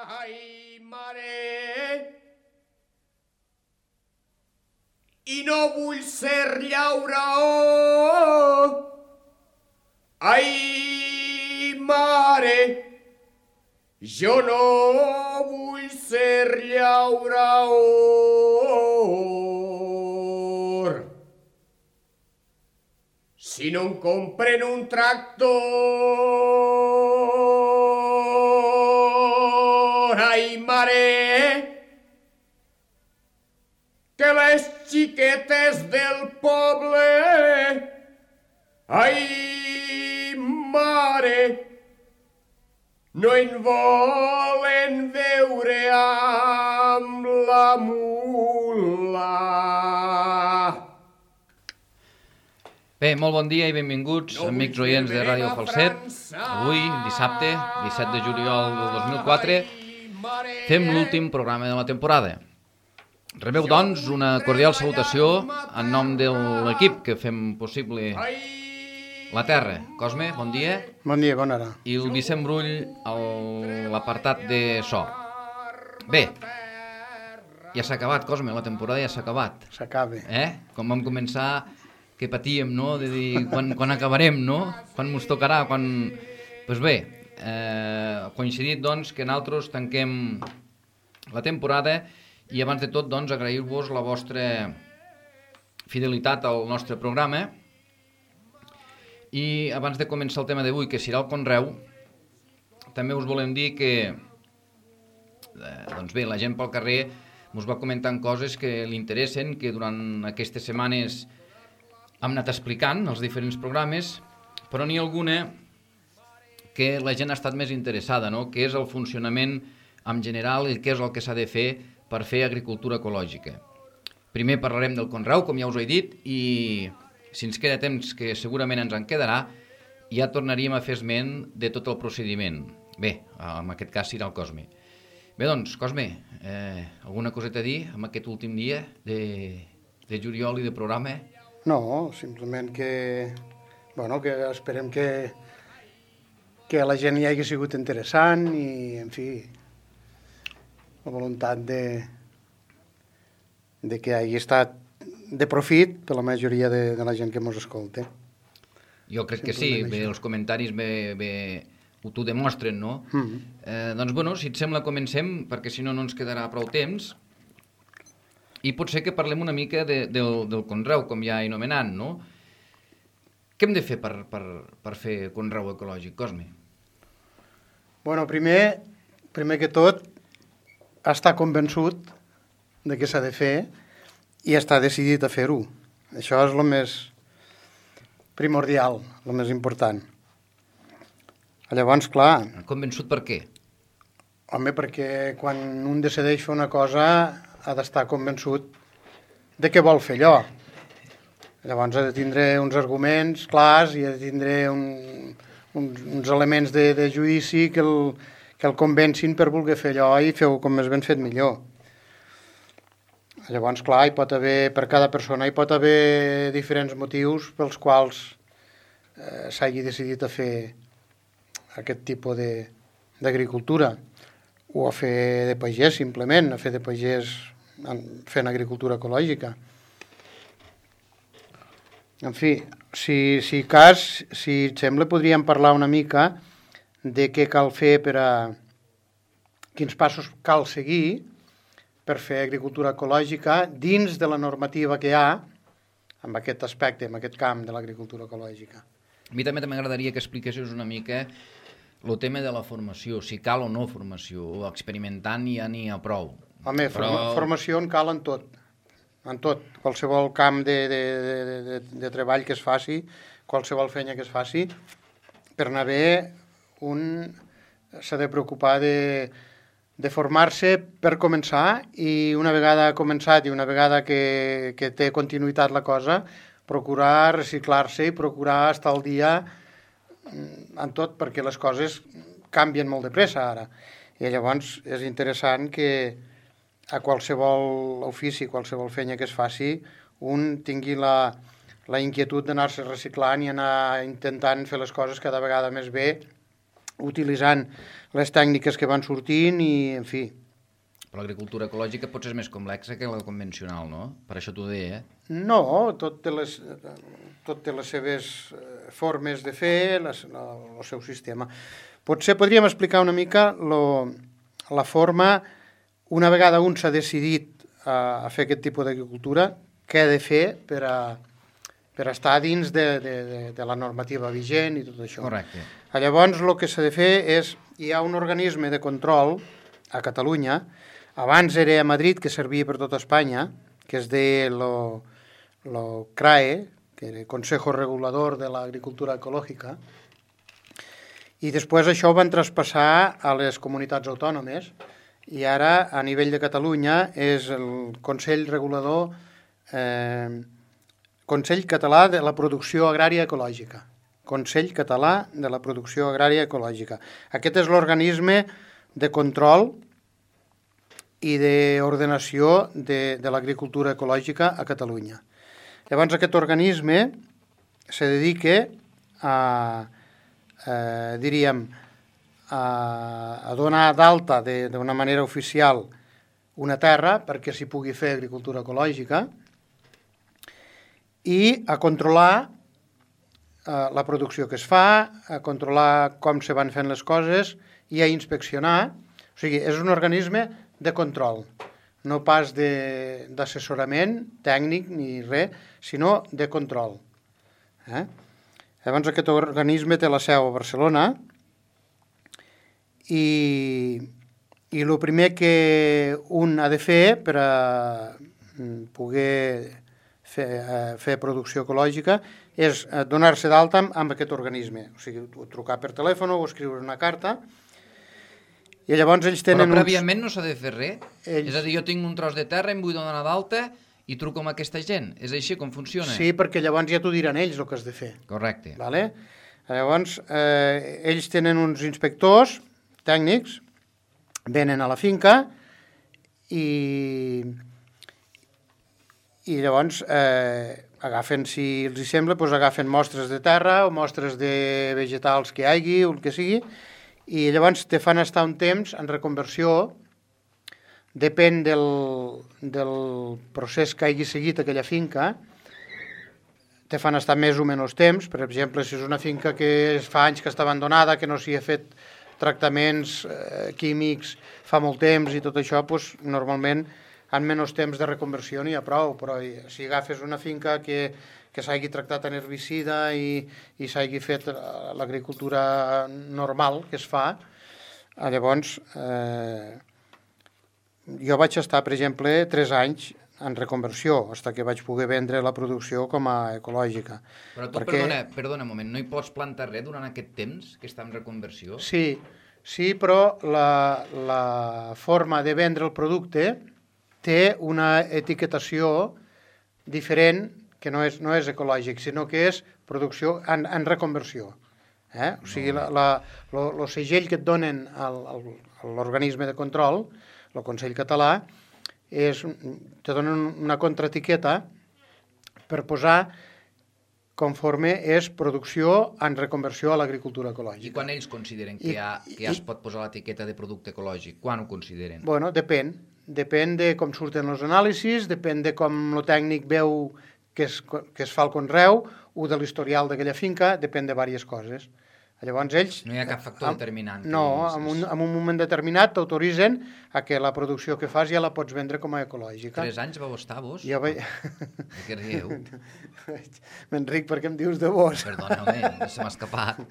Ai, mare, i no vull ser llauraó. Ai, mare, jo no vull ser llauraor. Si no em compren un tractor, ai, mare, que les xiquetes del poble, ai, mare, no en volen veure amb la mula. Bé, molt bon dia i benvinguts, amics oients de Ràdio Falset. Avui, dissabte, 17 de juliol del 2004, fem l'últim programa de la temporada. Rebeu, doncs, una cordial salutació en nom de l'equip que fem possible la Terra. Cosme, bon dia. Bon dia, bona hora. I el Vicent Brull a l'apartat de so. Bé, ja s'ha acabat, Cosme, la temporada ja s'ha acabat. S'acaba. Com vam començar, que patíem, no?, de dir quan acabarem, no?, quan mos tocarà, quan... Doncs bé, coincidit, doncs, que nosaltres tanquem la temporada i abans de tot, doncs, agrair-vos la vostra fidelitat al nostre programa. I abans de començar el tema d'avui, que serà el conreu, també us volem dir que, doncs bé, la gent pel carrer us va comentant coses que li interessen, que durant aquestes setmanes hem anat explicant els diferents programes, però n'hi ha alguna que la gent ha estat més interessada, no?, que és el funcionament en general i què és el que s'ha de fer per fer agricultura ecològica. Primer parlarem del conreu, com ja us he dit, i si ens queda temps, que segurament ens en quedarà, ja tornaríem a fer esment de tot el procediment. Bé, en aquest cas serà el Cosme. Bé, doncs, Cosme, alguna coseta a dir en aquest últim dia de juliol i de programa? No, simplement que esperem que a la gent hi hagi sigut interessant i, en fi, la voluntat de que hagi estat de profit per la majoria de la gent que ens escolta. Jo crec que sí, bé, els comentaris t'ho demostren, no? Doncs, bueno, si et sembla, comencem, perquè si no, no ens quedarà prou temps. I potser que parlem una mica del conreu, com ja he anomenat, no? Què hem de fer per fer conreu ecològic, Cosme? Bueno, primer que tot, estar convençut de què s'ha de fer i estar decidit a fer-ho. Això és el més primordial, el més important. Llavors, clar... Convençut per què? Home, perquè quan un decideix fer una cosa ha d'estar convençut de què vol fer allò. Llavors ha de tindre uns arguments clars i ha de tindre uns elements de judici que el convencin per voler fer allò i fer-ho com més ben fet millor. Llavors, clar, per cada persona hi pot haver diferents motius pels quals s'hagi decidit a fer aquest tipus d'agricultura. O a fer de pagès, simplement, a fer de pagès fent agricultura ecològica. En fi, si et sembla, podríem parlar una mica de què cal fer quins passos cal seguir per fer agricultura ecològica dins de la normativa que hi ha en aquest aspecte, en aquest camp de l'agricultura ecològica. A mi també m'agradaria que expliquessis una mica el tema de la formació, si cal o no formació, o experimentant ja n'hi ha prou. Home, formació en cal en tot, qualsevol camp de treball que es faci, qualsevol feina que es faci, per anar bé s'ha de preocupar de formar-se per començar i una vegada començat i una vegada que té continuïtat la cosa, procurar reciclar-se i procurar estar al dia en tot, perquè les coses canvien molt de pressa ara. I llavors és interessant que a qualsevol ofici, qualsevol feina que es faci, un tingui la inquietud d'anar-se reciclant i anar intentant fer les coses cada vegada més bé utilitzant les tècniques que van sortint i, en fi. Però l'agricultura ecològica potser és més complexa que la convencional, no? Per això t'ho deia, No, tot té les seves formes de fer, el seu sistema. Potser podríem explicar una mica la forma, una vegada un s'ha decidit a fer aquest tipus d'agricultura, què ha de fer per estar dins de la normativa vigent i tot això. Correcte. Llavors, el que s'ha de fer és, hi ha un organisme de control a Catalunya, abans era a Madrid, que servia per tota Espanya, que es deia lo CRAE, que era el Consejo Regulador de l'Agricultura Ecològica, i després això ho van traspassar a les comunitats autònomes, i ara, a nivell de Catalunya, és el Consell Regulador, Consell Català de la Producció Agrària Ecològica. Consell Català de la Producció Agrària Ecològica. Aquest és l'organisme de control i d'ordenació de l'agricultura ecològica a Catalunya. Llavors, aquest organisme se dedica a donar d'alta d'una manera oficial una terra perquè s'hi pugui fer agricultura ecològica i a controlar la producció que es fa, a controlar com se van fent les coses i a inspeccionar. O sigui, és un organisme de control, no pas d'assessorament tècnic ni res, sinó de control. Llavors aquest organisme té la seu a Barcelona i el primer que un ha de fer per a poder fer producció ecològica és donar-se d'alta amb aquest organisme. O sigui, trucar per telèfon o escriure una carta. I llavors ells tenen... Però prèviament no s'ha de fer res? És a dir, jo tinc un tros de terra, em vull donar d'alta i truco amb aquesta gent. És així com funciona? Sí, perquè llavors ja t'ho diran ells el que has de fer. Correcte. Vale? Llavors, ells tenen uns inspectors tècnics, venen a la finca i llavors agafen, si els hi sembla, doncs agafen mostres de terra o mostres de vegetals que hi hagi o el que sigui, i llavors te fan estar un temps en reconversió, depèn del procés que hagi seguit aquella finca, te fan estar més o menys temps. Per exemple, si és una finca que fa anys que està abandonada, que no s'hi ha fet tractaments químics fa molt temps i tot això, doncs, normalment en menys temps de reconversió n'hi ha prou, però si agafes una finca que s'hagi tractat en herbicida i s'hagi fet l'agricultura normal que es fa, llavors jo vaig estar, per exemple, 3 anys en reconversió, fins que vaig poder vendre la producció com a ecològica. Però tu, perdona un moment, no hi pots plantar res durant aquest temps que està en reconversió? Sí, però la forma de vendre el producte té una etiquetació diferent, que no és ecològic, sinó que és producció en reconversió. O sigui, el segell que et donen a l'organisme de control, el Consell Català, te donen una contraetiqueta per posar conforme és producció en reconversió a l'agricultura ecològica. I quan ells consideren que ja es pot posar l'etiqueta de producte ecològic? Quan ho consideren? Bueno, depèn de com surten els anàlisis, depèn de com el tècnic veu que es fa el conreu o de l'historial d'aquella finca, depèn de diverses coses. Llavors ells... No hi ha cap factor determinant. No, en un moment determinat t'autoritzen a que la producció que fas ja la pots vendre com a ecològica. 3 anys vau estar vos? Jo vaig... De què rieu? M'enric perquè em dius de vos. Perdona, home, se m'ha escapat.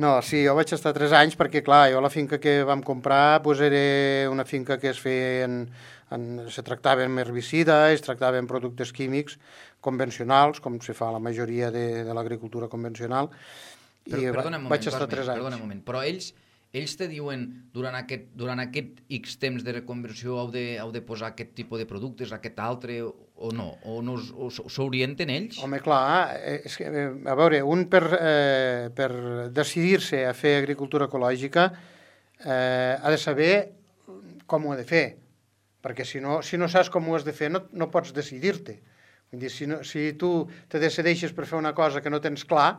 No, sí, jo vaig estar 3 anys perquè, clar, jo la finca que vam comprar era una finca que es feia se tractava amb herbicida, es tractava amb productes químics convencionals, com se fa la majoria de l'agricultura convencional, i vaig estar 3 anys. Perdona un moment, però ells te diuen durant aquest X temps de reconversió heu de posar aquest tipus de productes, aquest altre, o no? O s'orienten ells? Home, clar, és que, a veure, un per decidir-se a fer agricultura ecològica ha de saber com ho ha de fer, perquè si no saps com ho has de fer no pots decidir-te. Vull dir, si tu te decideixes per fer una cosa que no tens clar,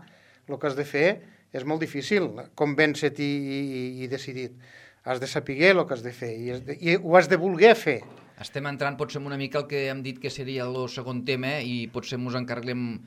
el que has de fer és molt difícil convèncer-te i decidir. Has de saber el que has de fer i ho has de voler fer. Estem entrant potser una mica el que hem dit que seria el segon tema i potser ens encarreguem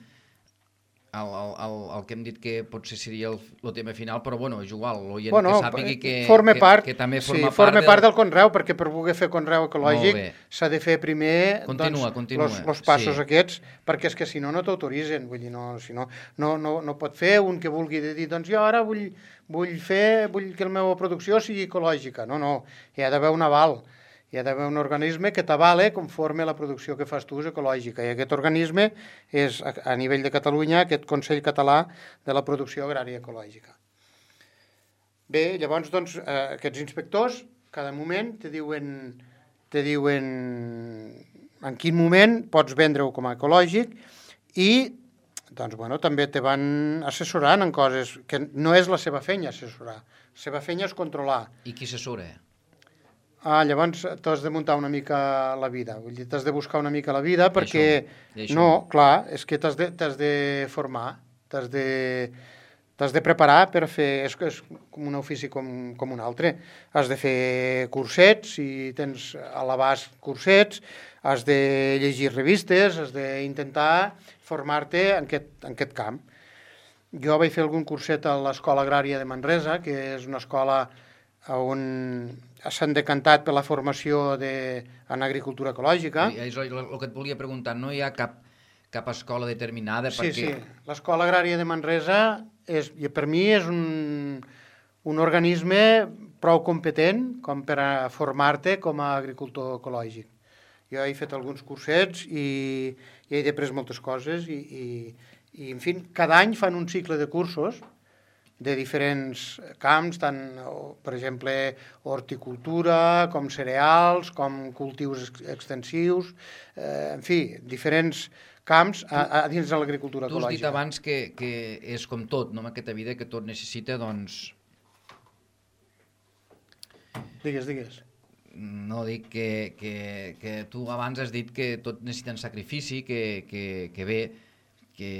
el que hem dit que potser seria el tema final, però bueno, és igual, l'oient que sàpigui que també forma part del conreu, perquè per voler fer conreu ecològic s'ha de fer primer els passos aquests, perquè és que si no t'autoritzen, vull dir, no pot fer un que vulgui dir, doncs jo ara vull que la meva producció sigui ecològica, no, hi ha d'haver un aval. Hi ha d'haver un organisme que t'avale conforme la producció que fas tu és ecològica. I aquest organisme és, a nivell de Catalunya, aquest Consell Català de la Producció Agrària Ecològica. Bé, llavors, doncs, aquests inspectors, cada moment te diuen en quin moment pots vendre-ho com a ecològic i doncs, bueno, també te van assessorant en coses que no és la seva feina assessorar. La seva feina és controlar. I qui assessora? Llavors t'has de muntar una mica la vida, vull dir, t'has de buscar una mica la vida perquè, no, clar, és que t'has de formar, t'has de preparar per fer, és com un ofici com un altre, has de fer cursets, si tens a l'abast cursets, has de llegir revistes, has d'intentar formar-te en aquest camp. Jo vaig fer algun curset a l'Escola Agrària de Manresa, que és una escola on s'han decantat per la formació en agricultura ecològica. És el que et volia preguntar, no hi ha cap escola determinada? Sí, l'Escola Agrària de Manresa per mi és un organisme prou competent com per a formar-te com a agricultor ecològic. Jo he fet alguns cursets i he après moltes coses i en fi, cada any fan un cicle de cursos de diferents camps, tant, per exemple, horticultura, com cereals, com cultius extensius, en fi, diferents camps a dins de l'agricultura ecològica. Tu has dit abans que és com tot, no, en aquesta vida, que tot necessita, doncs... Digues. No, dic que tu abans has dit que tot necessita un sacrifici, que bé, que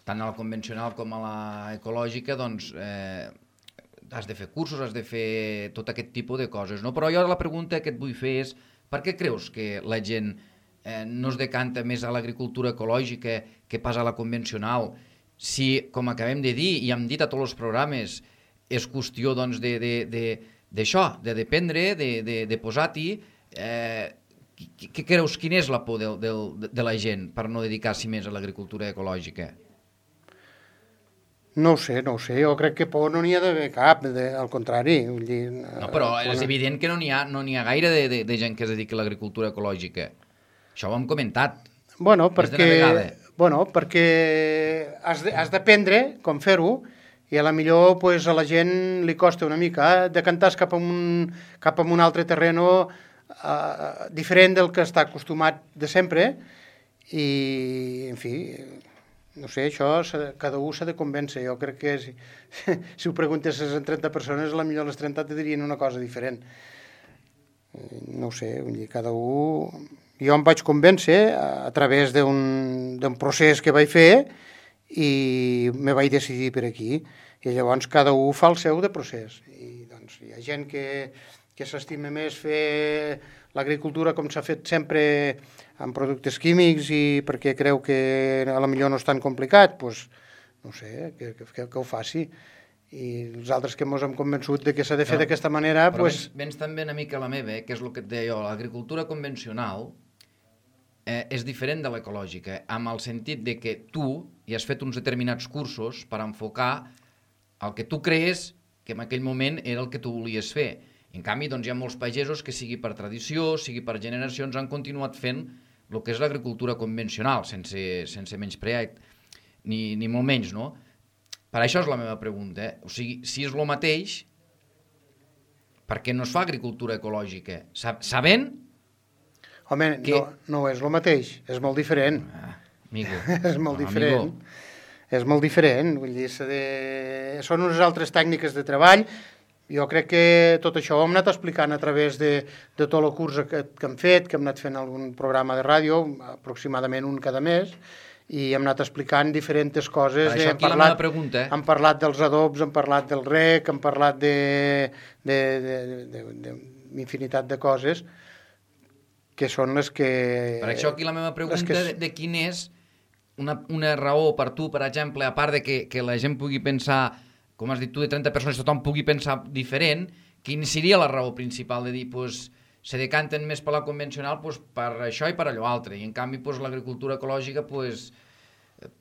tant a la convencional com a la ecològica, doncs has de fer cursos, has de fer tot aquest tipus de coses, no? Però jo la pregunta que et vull fer és per què creus que la gent no es decanta més a l'agricultura ecològica que pas a la convencional? Si, com acabem de dir, i hem dit a tots els programes, és qüestió doncs, d'això, de dependre, de posar-t'hi. Què creus, quina és la por de la gent per no dedicar-s'hi més a l'agricultura ecològica? No ho sé, jo crec que por no n'hi ha d'haver cap, al contrari. Vull dir, no, però és evident que no n'hi ha gaire de gent que es dediqui a l'agricultura ecològica. Això ho hem comentat. Bueno, perquè has d'aprendre com fer-ho i a la millor pues, a la gent li costa una mica decantar-se cap a un altre terreno diferent del que està acostumat de sempre i, en fi... No sé, això cada un s'ha de convèncer. Jo crec que si ho preguntessis a 30 persones, potser les 30 te dirien una cosa diferent. No ho sé, cada un... Jo em vaig convèncer a través d'un procés que vaig fer i me vaig decidir per aquí. I llavors cada un fa el seu de procés. I doncs hi ha gent que s'estima més fer l'agricultura com s'ha fet sempre amb productes químics i perquè creu que potser no és tan complicat, doncs, no sé, que ho faci. I els altres que ens hem convençut de que s'ha de fer d'aquesta manera... Però vens també una mica a la meva, que és el que et deia jo, l'agricultura convencional és diferent de l'ecològica, amb el sentit de que tu hi has fet uns determinats cursos per enfocar el que tu creus que en aquell moment era el que tu volies fer. En canvi, doncs, hi ha molts pagesos que, sigui per tradició, sigui per generacions, han continuat fent el que és l'agricultura convencional, sense menysprear, ni molt menys, no? Per això és la meva pregunta. O sigui, si és el mateix, per què no es fa agricultura ecològica? Sabent... Home, no és el mateix, és molt diferent. Amigo. És molt diferent. És molt diferent, vull dir, són unes altres tècniques de treball. Jo crec que tot això ho hem anat explicant a través de tot el curs que hem fet, que hem anat fent algun programa de ràdio, aproximadament un cada mes, i hem anat explicant diferents coses. Per això aquí la meva pregunta. Hem parlat dels adobs, hem parlat del rec, hem parlat d'infinitat de coses que són les que... Per això aquí la meva pregunta de quin és una raó per tu, per exemple, a part de que la gent pugui pensar, com has dit tu, de 30 persones, tothom pugui pensar diferent, quina seria la raó principal de dir, doncs, se decanten més per la convencional per això i per allò altre, i en canvi l'agricultura ecològica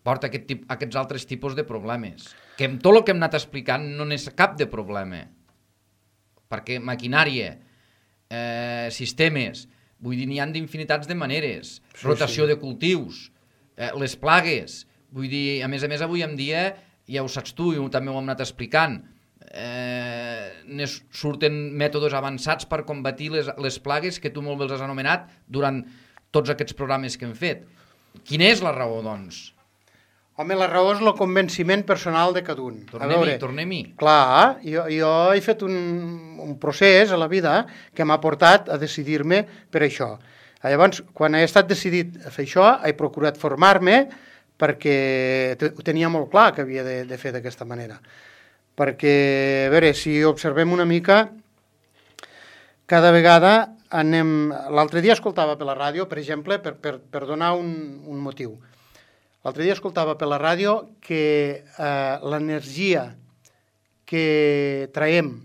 porta aquests altres tipus de problemes, que amb tot el que hem anat explicant no n'és cap de problema, perquè maquinària, sistemes, vull dir, n'hi ha d'infinitats de maneres, rotació de cultius, les plagues, vull dir, a més, avui en dia, ja ho saps tu i també ho hem anat explicant, surten mètodes avançats per combatir les plagues que tu molt bé els has anomenat durant tots aquests programes que hem fet. Quina és la raó, doncs? Home, la raó és el convenciment personal de cada un. Tornem-hi. Clar, jo he fet un procés a la vida que m'ha portat a decidir-me per això. Llavors, quan he estat decidit a fer això, he procurat formar-me perquè ho tenia molt clar que havia de fer d'aquesta manera. Perquè, a veure, si observem una mica, cada vegada anem... L'altre dia escoltava per la ràdio, per exemple, per donar un motiu. L'altre dia escoltava per la ràdio que l'energia que traiem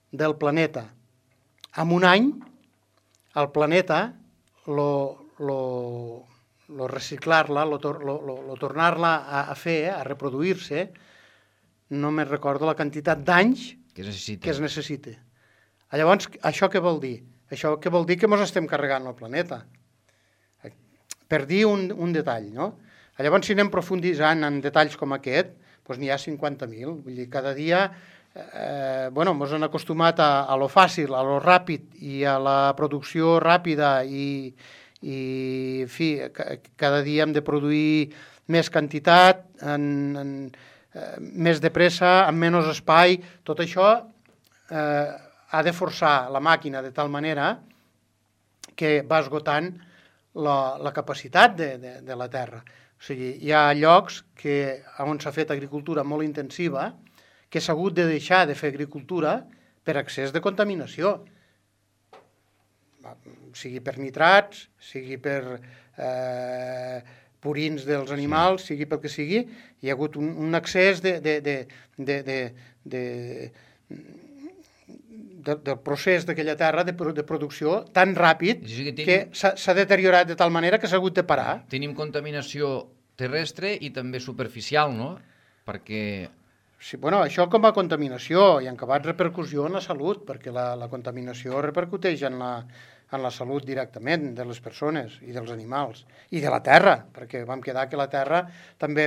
del planeta en un any, el planeta, reciclar-la, tornar-la a fer, a reproduir-se, no me'n recordo la quantitat d'anys que es necessita. Llavors, això què vol dir? Això què vol dir que ens estem carregant el planeta. Per dir un detall, no? Llavors, si anem profunditzant en detalls com aquest, doncs n'hi ha 50.000. Vull dir, cada dia ens han acostumat a lo fàcil, a lo ràpid i a la producció ràpida i en fi, cada dia hem de produir més quantitat, més de pressa, amb menys espai. Tot això ha de forçar la màquina de tal manera que va esgotant la capacitat de la terra. O sigui, hi ha llocs on s'ha fet agricultura molt intensiva que s'ha hagut de deixar de fer agricultura per excés de contaminació. Sigui per nitrats, sigui per purins dels animals, sigui pel que sigui, hi ha hagut un excés del procés d'aquella terra de producció tan ràpid que s'ha deteriorat de tal manera que s'ha hagut de parar. Tenim contaminació terrestre i també superficial, no? Perquè... Sí, bueno, això com a contaminació i en acabat repercussió en la salut, perquè la contaminació repercuteix en la salut directament de les persones i dels animals i de la terra, perquè vam quedar que la terra també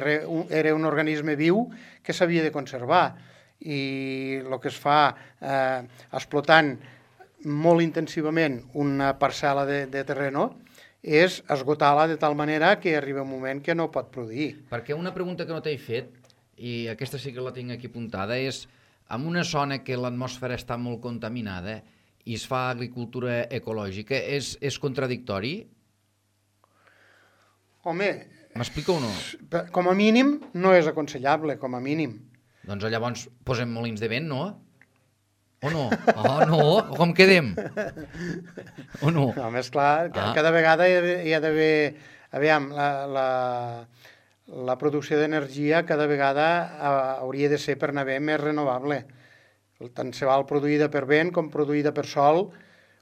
era un organisme viu que s'havia de conservar i el que es fa explotant molt intensivament una parcel·la de terreno és esgotar-la de tal manera que arriba un moment que no pot produir. Perquè una pregunta que no t'he fet, i aquesta sí que la tinc aquí apuntada, és en una zona que l'atmosfera està molt contaminada i es fa agricultura ecològica, és contradictori? Home... M'explica o no? Com a mínim no és aconsellable, com a mínim. Doncs llavors posem molins de vent, no? O no? Oh, no? O com quedem? O no? Home, esclar, cada vegada hi ha d'haver... Aviam, la producció d'energia cada vegada hauria de ser per anar bé més renovable. Tant se val produïda per vent com produïda per sol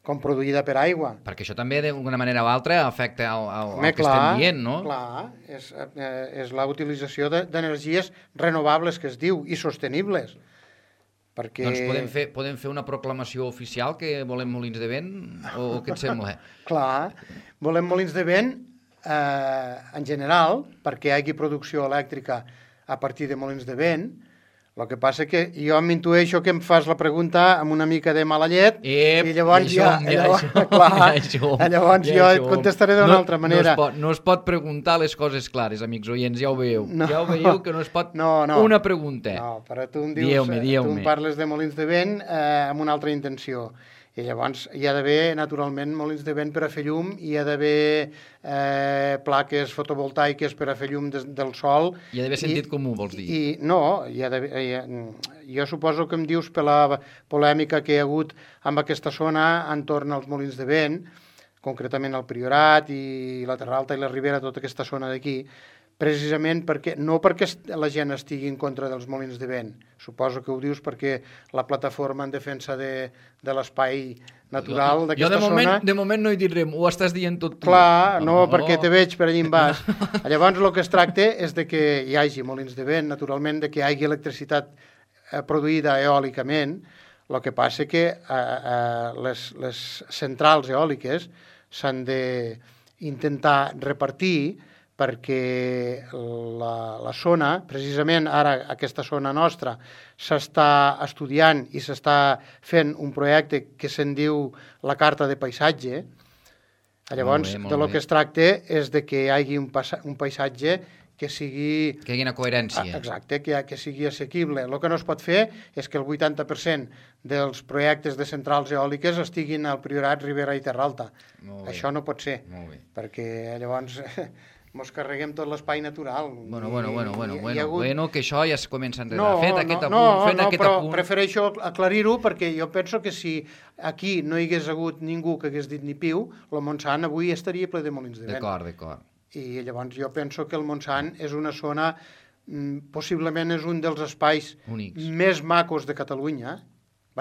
com produïda per aigua. Perquè això també d'alguna manera o altra afecta al que estem dient, no? Clar, és la utilització d'energies renovables que es diu i sostenibles. Perquè... Doncs podem fer una proclamació oficial que volem molins de vent o què et sembla? Clar, volem molins de vent en general, perquè hi hagi producció elèctrica a partir de molins de vent. El que passa que jo m'intueixo que em fas la pregunta amb una mica de mala llet i llavors jo et contestaré d'una altra manera. No es pot preguntar les coses clares, amics oients, ja ho veieu. Ja ho veieu que no es pot... Una pregunta. No, però tu em dius, tu em parles de molins de vent amb una altra intenció. I llavors hi ha d'haver, naturalment, molins de vent per a fer llum, hi ha d'haver plaques fotovoltaiques per a fer llum del sol. Hi ha d'haver sentit comú, vols dir? No, jo suposo que em dius per la polèmica que hi ha hagut amb aquesta zona entorn als molins de vent, concretament el Priorat i la Terra Alta i la Ribera, tota aquesta zona d'aquí, precisament no perquè la gent estigui en contra dels molins de vent, suposo que ho dius perquè la plataforma en defensa de l'espai natural d'aquesta zona... Jo de moment no hi diré, ho estàs dient tot tu. Clar, no, perquè te veig per allà en baix. Llavors el que es tracta és de que hi hagi molins de vent, naturalment, de que hi hagi electricitat produïda eòlicament. El que passa que les centrals eòliques s'han d'intentar repartir perquè la zona, precisament ara aquesta zona nostra, s'està estudiant i s'està fent un projecte que se'n diu la Carta de Paisatge. Llavors, de lo que es tracta és de que hi hagi un paisatge que sigui... Que hi hagi una coherència. Exacte, que sigui assequible. El que no es pot fer és que el 80% dels projectes de centrals eòliques estiguin al Priorat, Ribera i Terra Alta. Això no pot ser, perquè llavors... mos carreguem tot l'espai natural. Bueno, que això ja es comença a enredar. Fet aquest apunt... però prefereixo aclarir-ho perquè jo penso que si aquí no hi hagués hagut ningú que hagués dit ni piu, el Montsant avui estaria ple de molins de vent. D'acord. I llavors jo penso que el Montsant és una zona, possiblement és un dels espais únics, més macos de Catalunya.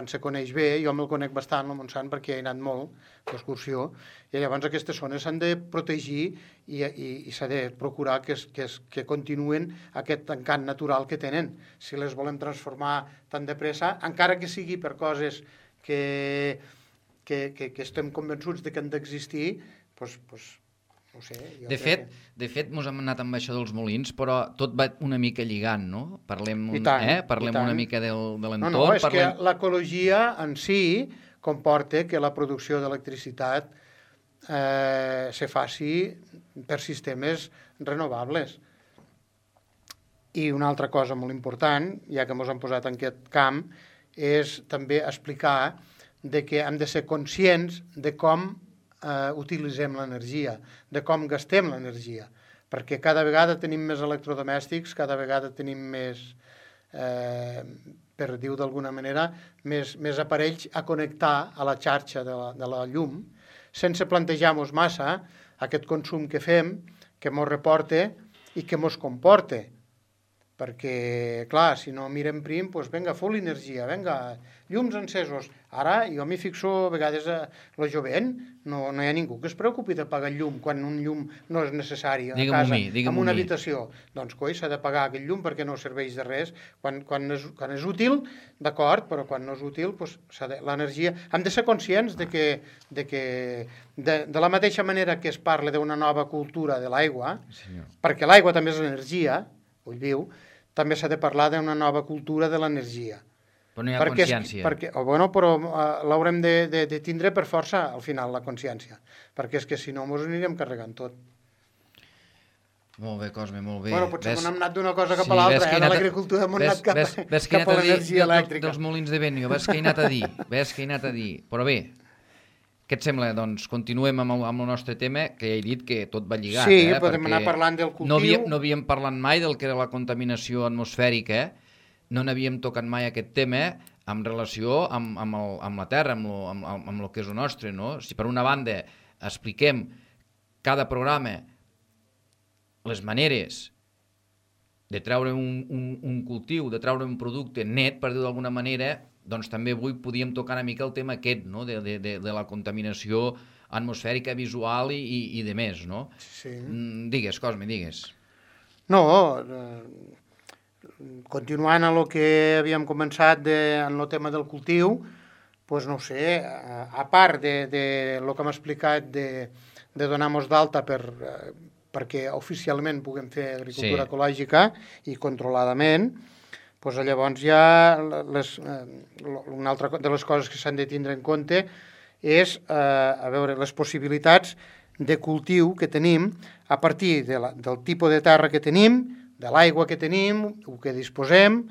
Se coneix bé, jo me'l conec bastant, el Montsant, perquè he anat molt d'excursió, i llavors aquestes zones s'han de protegir i s'ha de procurar que continuen aquest encant natural que tenen. Si les volem transformar tan de pressa, encara que sigui per coses que estem convençuts de que han d'existir, doncs no sé. De fet, mos hem anat amb això dels molins, però tot va una mica lligant, no? Parlem una mica de l'entorn. No, és que l'ecologia en si comporta que la producció d'electricitat se faci per sistemes renovables. I una altra cosa molt important, ja que ens hem posat en aquest camp, és també explicar que hem de ser conscients de com utilitzem l'energia, de com gastem l'energia, perquè cada vegada tenim més electrodomèstics, cada vegada tenim més, per dir-ho d'alguna manera, més aparells a connectar a la xarxa de la llum, sense plantejar-nos massa aquest consum que fem, que mos reporta i que mos comporta. Perquè, clar, si no mirem prim, doncs vinga, full energia, vinga, llums encesos. Ara jo m'hi fixo a vegades a la jovent, no hi ha ningú que es preocupi de pagar el llum quan un llum no és necessari a casa, en una habitació. Doncs, coi, s'ha de pagar aquest llum perquè no serveix de res. Quan és útil, d'acord, però quan no és útil, doncs l'energia... Hem de ser conscients de la mateixa manera que es parla d'una nova cultura de l'aigua, perquè l'aigua també és l'energia, ull viu, també s'ha de parlar d'una nova cultura de l'energia. Però no hi ha consciència. Però l'haurem de tindre per força, al final, la consciència. Perquè és que si no, ens anirem carregant tot. Molt bé, Cosme, molt bé. Bueno, potser hem anat d'una cosa cap a l'altra, de l'agricultura hem anat cap a l'energia elèctrica. Dels molins de vent, ves que he anat a dir. Però bé, què et sembla? Doncs continuem amb el nostre tema, que ja he dit que tot va lligat. Sí, podem anar parlant del cultiu. No havíem parlat mai del que era la contaminació atmosfèrica, no n'havíem tocat mai aquest tema en relació amb la Terra, amb el que és el nostre, no? Si per una banda expliquem cada programa les maneres de treure un cultiu, de treure un producte net, per dir-ho d'alguna manera, doncs també avui podíem tocar una mica el tema aquest, no? de la contaminació atmosfèrica, visual i de més, no? Sí. Digues, Cosme, digues. No, continuant a lo que havíem començat en el tema del cultiu, doncs no sé, a part de lo que hem explicat de donar-nos d'alta perquè oficialment puguem fer agricultura ecològica i controladament, doncs llavors ja una altra de les coses que s'han de tindre en compte és les possibilitats de cultiu que tenim a partir del tipus de terra que tenim, de l'aigua que tenim, el que disposem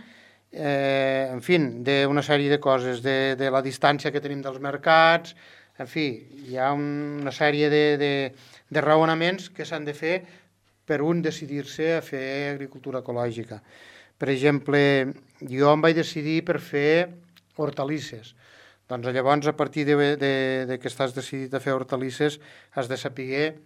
en fi, d'una sèrie de coses, de la distància que tenim dels mercats, en fi, hi ha una sèrie de raonaments que s'han de fer per un decidir-se a fer agricultura ecològica. Per exemple, jo em vaig decidir per fer hortalisses. Doncs llavors, a partir de que estàs decidit a fer hortalisses, has de saber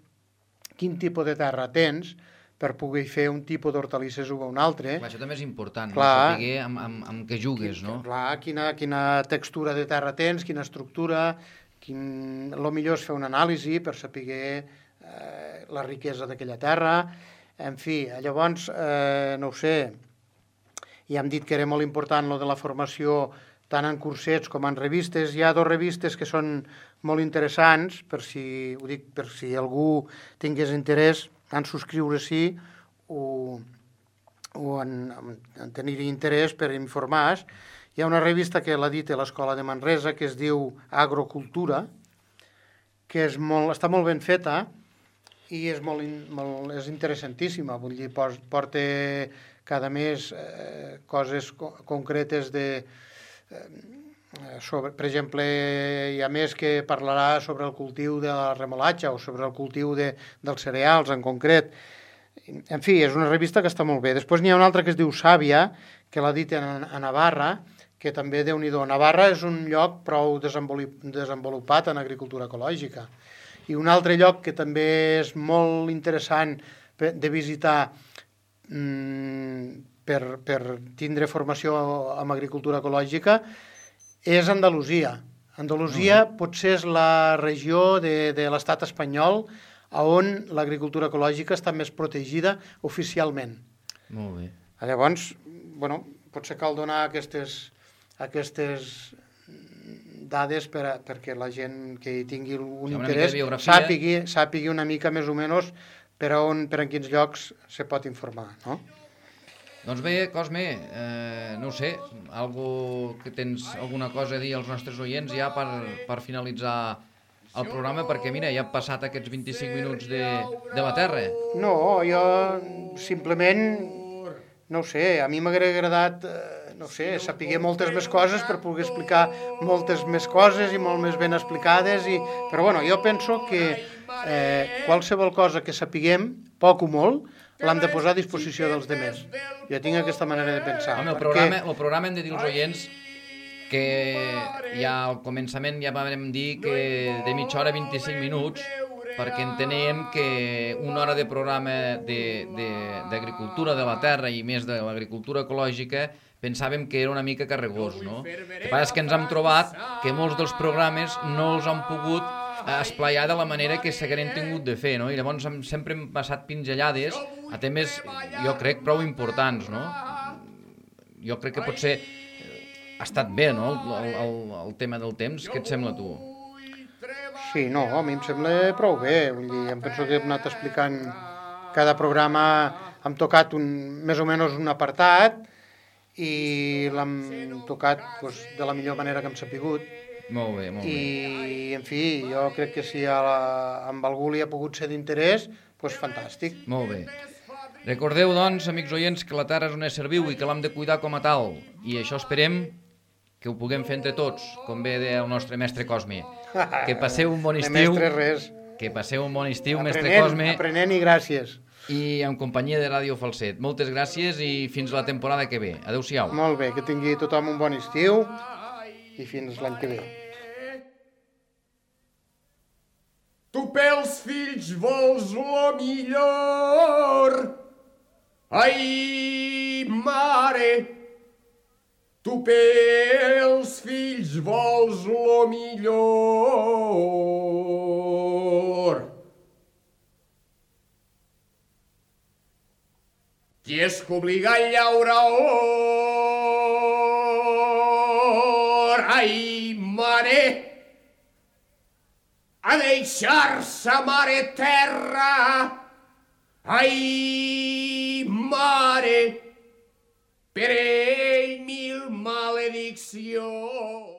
quin tipus de terra tens per poder fer un tipus d'hortalisses o un altre. Clar, això també és important, clar, saber amb què jugues, no? Clar, quina textura de terra tens, quina estructura, el millor és fer una anàlisi per saber la riquesa d'aquella terra. En fi, llavors, no ho sé, ja hem dit que era molt important lo de la formació tant en cursets com en revistes. Hi ha 2 revistes que són molt interessants, per si algú tingués interès en subscriure-s'hi o en tenir interès per informar. Hi ha una revista que l'ha dit a l'Escola de Manresa que es diu Agrocultura, que està molt ben feta i és interessantíssima. Vull dir, porta cada mes coses concretes per exemple, hi ha més que parlarà sobre el cultiu de la remolatxa o sobre el cultiu dels cereals en concret. En fi, és una revista que està molt bé. Després n'hi ha una altra que es diu Sàvia, que l'ha dit a Navarra, que també, Déu-n'hi-do, Navarra és un lloc prou desenvolupat en agricultura ecològica. I un altre lloc que també és molt interessant de visitar per tindre formació en agricultura ecològica és Andalusia. Andalusia potser és la regió de l'estat espanyol on l'agricultura ecològica està més protegida oficialment. Molt bé. Llavors, potser cal donar aquestes dades perquè la gent que hi tingui un interès sàpigui una mica més o menys per en quins llocs se pot informar, no? Doncs bé, Cosme, no ho sé, tens alguna cosa a dir als nostres oients ja per finalitzar el programa, perquè mira, ja han passat aquests 25 minuts de la Terra. No, jo simplement, no ho sé, a mi m'hauria agradat, no sé, saber moltes més coses per poder explicar moltes més coses i molt més ben explicades, però jo penso que qualsevol cosa que sapiguem, poc o molt, l'hem de posar a disposició dels demés. Jo tinc aquesta manera de pensar. Home, el programa hem de dir als oients que ja al començament ja vam dir que de mitja hora a 25 minuts, perquè entenem que una hora de programa d'agricultura de la terra i més de l'agricultura ecològica pensàvem que era una mica carregós, no? El que passa és que ens hem trobat que molts dels programes no els han pogut esplaiar de la manera que s'hagueren tingut de fer, no? I llavors sempre hem passat pinzellades a temes, jo crec, prou importants, no? Jo crec que potser ha estat bé, no?, el tema del temps. Què et sembla, tu? Sí, no, a mi em sembla prou bé. Vull dir, em penso que hem anat explicant cada programa, hem tocat més o menys un apartat i l'hem tocat de la millor manera que hem sapigut. Molt bé, molt bé. I, en fi, jo crec que si amb algú li ha pogut ser d'interès, doncs fantàstic. Molt bé. Recordeu, doncs, amics oients, que la terra és un ésser viu i que l'hem de cuidar com a tal. I això esperem que ho puguem fer entre tots, com bé deia el nostre mestre Cosme. Que passeu un bon estiu. Mestre res. Que passeu un bon estiu, mestre Cosme. Aprenent i gràcies. I en companyia de Ràdio Falset. Moltes gràcies i fins la temporada que ve. Adéu-siau. Molt bé, que tingui tothom un bon estiu i fins l'any que ve. Tu pels fills vols lo millor, ai, mare, tu pels fills vols lo millor. Qui és que obliga a llaure or, ai, mare, a deixar-se mare terra, ai, mare, per ell mil malediccions.